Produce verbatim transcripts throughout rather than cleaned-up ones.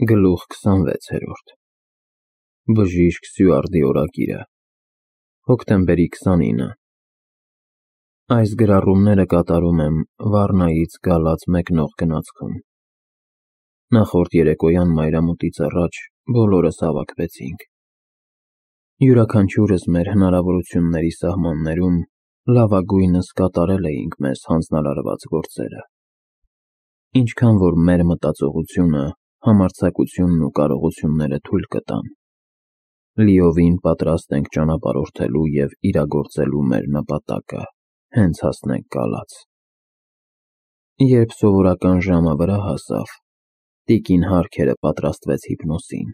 Գլուխ քսանվեցերորդ Բժիշկ Սյուարդի օրագիրը Հոկտեմբերի քսանինը Այս գրառումները կատարում եմ Վառնայից Գալաթ մեկնող գնացքում։ Նախորդ երեկոյան մայրամուտից առաջ բոլորս հավաքվեցինք։ Յուրաքանչյուրս մեր հնարավորությունների սահմաններում լավագույնս կատարել էինք մեզ հանձնարարված գործերը։ Ինչքան որ մեր մտածողությունը, համարձակությունն ու կարողությունները թույլ կտան, լիովին պատրաստ ենք ճանապարհորդելու և իրագործելու մեր նպատակը, հենց հասնենք Գալաթ։ Երբ սովորական ժամը վրա հասավ, տիկին Հարքերը պատրաստվեց հիպնոսին,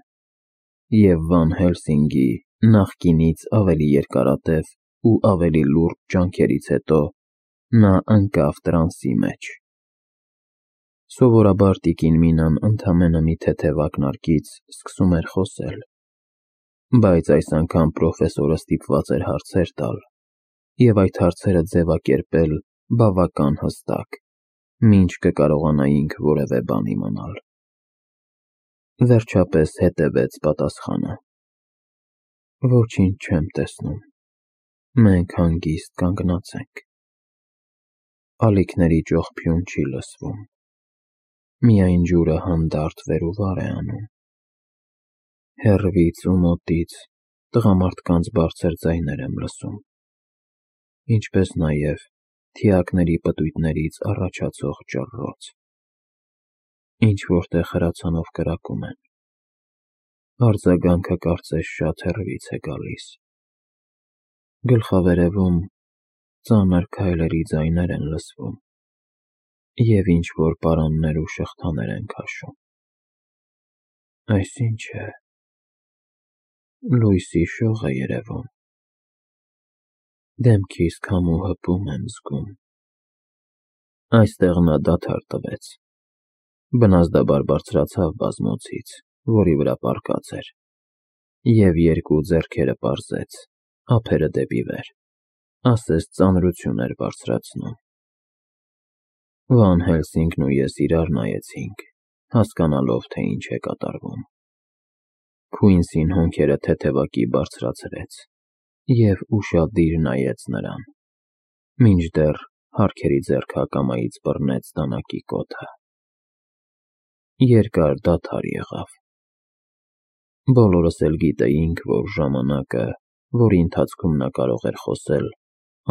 և Վան Հելսինգի նախկինից ավելի երկարատև ու ավելի լուրջ ջանքերից հետո նա ընկավ տրանսի մեջ։ Սովորաբար տիկին Մինան ընդամենը մի թեթև ակնարկից սկսում էր խոսել, բայց այս անգամ պրոֆեսորը ստիպված էր հարցեր տալ և այդ հարցերը ձևակերպել բավական հստակ, մինչ կկարողանայինք որևէ բան իմանալ։ Վերջապես հետևեց պատասխանը. Ոչինչ չեմ տեսնում, մենք հանգիստ կանգնած ենք։ Ալիքների ճողփյուն չի լսվում, միայն ջուրը հանդարտ վեր ու վար է անում։ Հեռվից ու մոտից տղամարդկանց բարձր ձայներ եմ լսում, ինչպես նաև թիակների պտույտներից առաջացող ճռռոց։ Ինչ-որ տեղ հրացանով կրակում են։ Արձագանքը կարծես շատ հեռվից է գալիս։ Գլխավերևում ծանր քայլերի ձայներ են լսվում և ինչ-որ պարաններ ու շղթաներ են քաշում։ Այս ի՞նչ է։ Լույսի շող է երևում։ Դեմքիս քամու հպում եմ զգում։ Այստեղ նա դադար տվեց, բնազդաբար բարձրացավ բազմոցից, որի վրա պառկած էր, և երկու ձեռքերը պարզեց, ափերը դեպի վեր, ասես ծանրություն էր բարձրացնում։ Վան Հելսինգն ու ես իրար նայեցինք, հասկանալով, թե ինչ է կատարվում։ Քույնսին հոնքերը թեթևակի բարձրացրեց և ուշադիր նայեց նրան, մինչդեռ Հարքերի ձեռքը ակամայից բռնեց դանակի կոթը։ Երկար դադար եղավ։ Բոլորս էլ գիտեինք, որ ժամանակը, որի ընթացքում նա կարող էր խոսել,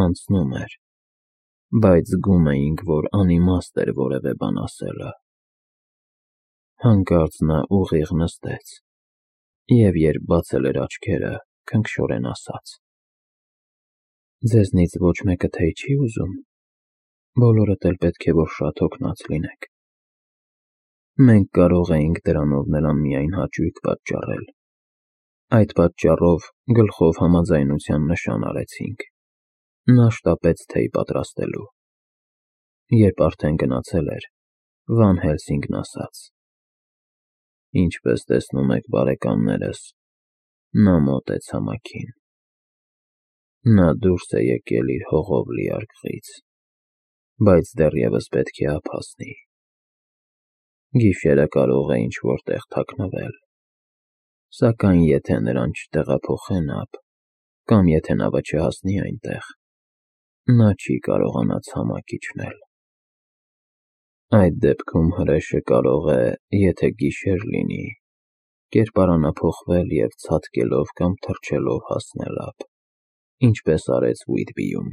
անցնում էր, բայց զգում էինք, որ անիմաստ էր որևէ բան ասելը։ Հանկարծ նա ուղիղ նստեց և, երբ բացել էր աչքերը, քնքշորեն ասաց. Ձեզնից ոչ մեկը թեյ չի ուզում։ Բոլորդ էլ պետք է որ շատ հոգնած լինեք։ Մենք կարող էինք դրանով նրան միայն հաճույք պատճառել։ Այդ պատճառով գլխով համաձայնության նշան արեցինք։ Նա շտապեց թեյ պատրաստելու։ Երբ արդեն գնացել էր, Վան Հելսինգն ասաց. Ինչպես տեսնում եք, բարեկամներս, նա մոտ է ցամաքին։ Նա դուրս է եկել իր հողով լի արկղից, բայց դեռևս պետք է ափ հասնի։ Գիշերը կարող է ինչ-որ տեղ թաքնվել, սակայն եթե նրան չտեղափոխեն ափ, կամ եթե նավը չհասնի այնտեղ, նա չի կարողանա ցամաք իջնել։ Այդ դեպքում հրեշը կարող է, եթե գիշեր լինի, կերպարանափոխվել և ցատկելով կամ թռչելով հասնել ափ, ինչպես արեց Ուիթբիում։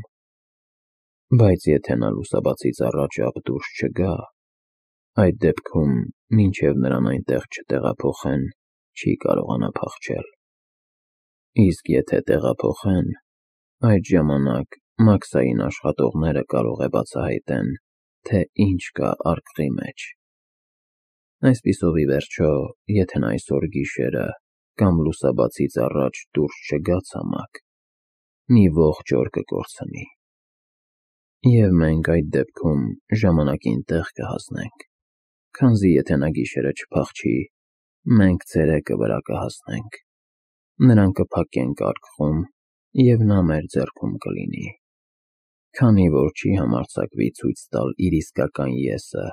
Բայց եթե նա լուսաբացից առաջ ափ դուրս չգա, այդ դեպքում, մինչև նրան այնտեղ չտեղափոխեն, չի կարողանա փախչել։ Իսկ եթե տեղափոխեն, այդ ժամանակ մաքսային աշխատողները կարող է բացահայտեն, թե ինչ կա արկղի մեջ։ Այսպիսով, ի վերջո, եթե նա այսօր գիշերը կամ լուսաբացից առաջ դուրս չգա ցամաք, մի ողջ օր կկորցնի։ Եվ մենք այդ դեպքում ժամանակին տեղ կհասնենք, քանզի եթե նա գիշերը չփախչի, մենք ցերեկը վրա կհասնենք, նրան կփակենք արկղում և նա մեր ձեռքում կլինի, քանի որ չի համարձակվի ցույց տալ իր իսկական եսը,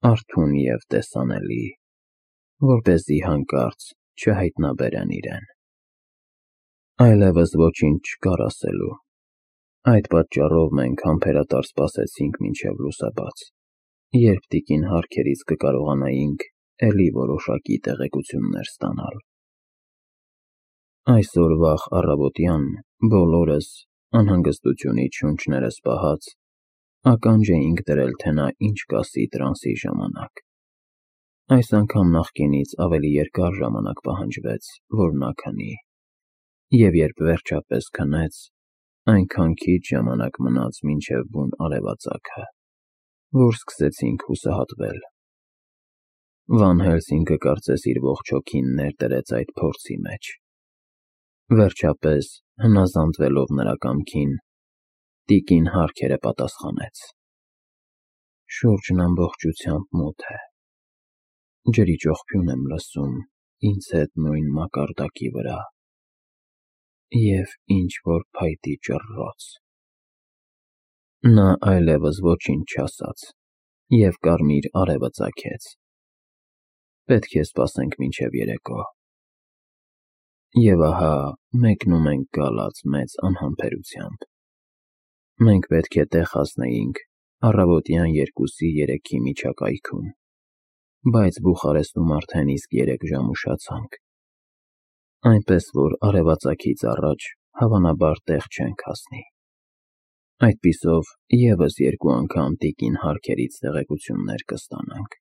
արթուն և տեսանելի, որպեսզի հանկարծ չհայտնաբերեն իրեն։ Այլևս ոչինչ չկար ասելու։ Այդ պատճառով մենք համբերատար սպասեցինք մինչև լուսաբաց, երբ տիկին Հարքերից կկարողանայինք էլի որոշակի տեղեկություններ ստանալ։ Այսօր վաղ առավոտյան բոլորս, անհանգստությունից շունչներս պահած, ականջ էինք դրել, թե նա ինչ կասի տրանսի ժամանակ։ Այս անգամ նախկինից ավելի երկար ժամանակ պահանջվեց, որ նա քնի, և երբ վերջապես քնեց, այնքան քիչ ժամանակ մնաց մինչև բուն արևածագը, որ սկսեցինք հուսահատվել։ Վան Հելսինգը կարծես իր ողջ հոգին ներդրեց այդ փորձի մեջ։ Վերջապես, հնազանդվելով նրա կամքին, տիկին Հարքերը պատասխանեց. «Շուրջն ամբողջությամբ մութ է։ Ջրի ճողփյուն եմ լսում ինձ հետ նույն մակարդակի վրա և ինչ-որ փայտի ճռռոց»։ Նա այլևս ոչինչ չասաց և կարմիր արևը ծագեց։ Պետք է սպասենք մինչև երեկո։ Եվ ահա մեկնում ենք գալած մեծ անհամբերությամբ։ Մենք պետք է տեղ հասնեինք առավոտյան երկուսի երեքի միջակայքում, բայց Բուխարեստում արդեն իսկ երեք ժամ ուշացանք, այնպես որ արևածագից առաջ հավանաբար տեղ չենք հասնի։ Այդպիսով ևս երկու անգամ տիկին Հարքերից տեղեկություններ կստանանք,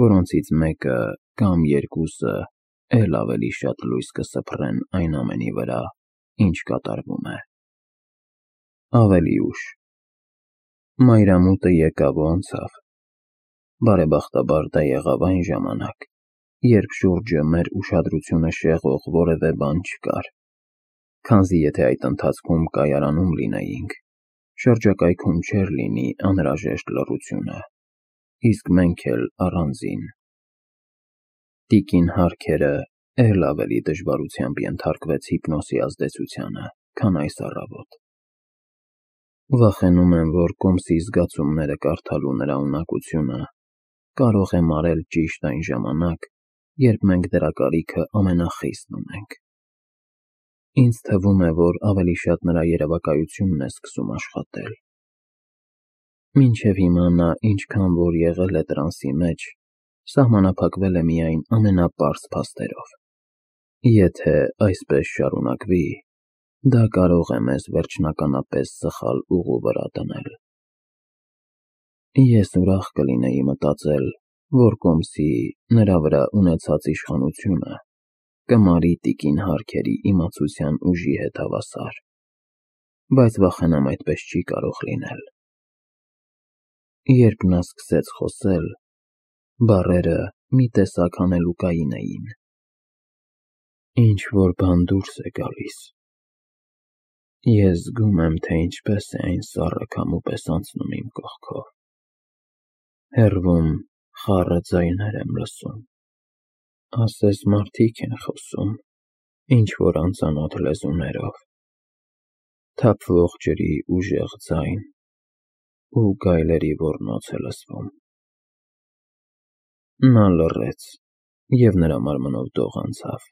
որոնցից մեկը կամ երկուսը էլ ավելի շատ լույս կսփռեն այն ամենի վրա, ինչ կատարվում է։ Ավելի ուշ։ Մայրամուտը եկավ ու անցավ։ Բարեբախտաբար դա եղավ այն ժամանակ, երբ շուրջը մեր ուշադրությունը շեղող որևէ բան չկար, քանզի եթե այդ ընթացքում կայարանում լինեինք, շրջակայքում չէր լինի անհրաժեշտ լռությունը, իսկ մենք էլ առանձին։ Տիկին Հարքերը էլ ավելի դժվարությամբ ենթարկվեց հիպնոսի ազդեցությանը, քան այս առավոտ։ Վախենում եմ, որ կոմսի զգացումները կարդալու նրա ունակությունը կարող է մարել ճիշտ այն ժամանակ, երբ մենք դրա կարիքը ամենախիստն ունենք։ Ինձ թվում է, որ ավելի շատ նրա երևակայությունն է սկսում աշխատել։ Մինչև հիմա նա ինչքան որ եղել է տրանսի մեջ, սահմանափակվել է միայն ամենապարզ փաստերով։ Եթե այսպես շարունակվի, դա կարող է մեզ վերջնականապես սխալ ուղու վրա դնել։ Ես ուրախ կլինեի մտածել, որ կոմսի նրա վրա ունեցած իշխանությունը կմարի տիկին Հարքերի իմացության ուժի հետ հավասար, բայց վախենամ այդպես չի կարող լինել։ Երբ նա սկսեց խոսել, բառերը մի տեսակ հանելուկային էին։ Ինչ-որ բան դուրս է գալիս։ Ես զգում եմ, թե ինչպես է այն սառը քամու պես անցնում իմ կողքով։ Հեռվում խառը ձայներ եմ լսում։ Ասես մարդիկ են խոսում ինչ-որ անծանոթ լեզուներով։ Թափվող ջրի ուժեղ ձայն ու գայլերի ոռնոց է լսվում։ Նա լռեց, և նրա մարմնով դող անցավ։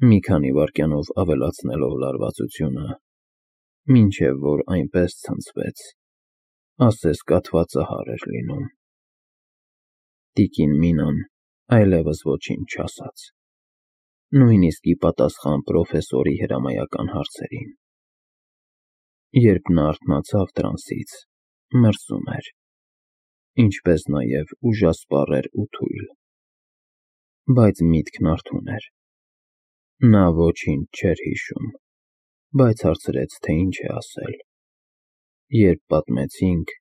Մի քանի վայրկյանով ավելացնելով լարվածությունը, մինչև որ այնպես ցնցվեց, ասես կաթվածահար էր լինում։ Տիկին Մինան այլևս ոչինչ չասաց, նույնիսկ ի պատասխան պրոֆեսորի հրամայական հարցերին։ Երբ նա արթնացավ տրանսից, մրսում էր, ինչպես նաև ուժասպառ էր ու թույլ, բայց միտքն արթուն էր։ Նա ոչինչ չէր հիշում, բայց հարցրեց, թե ինչ է ասել։ Երբ պատմեցինք,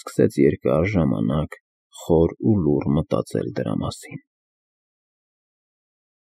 սկսեց երկար ժամանակ խոր ու լուռ մտածել դրա մասին։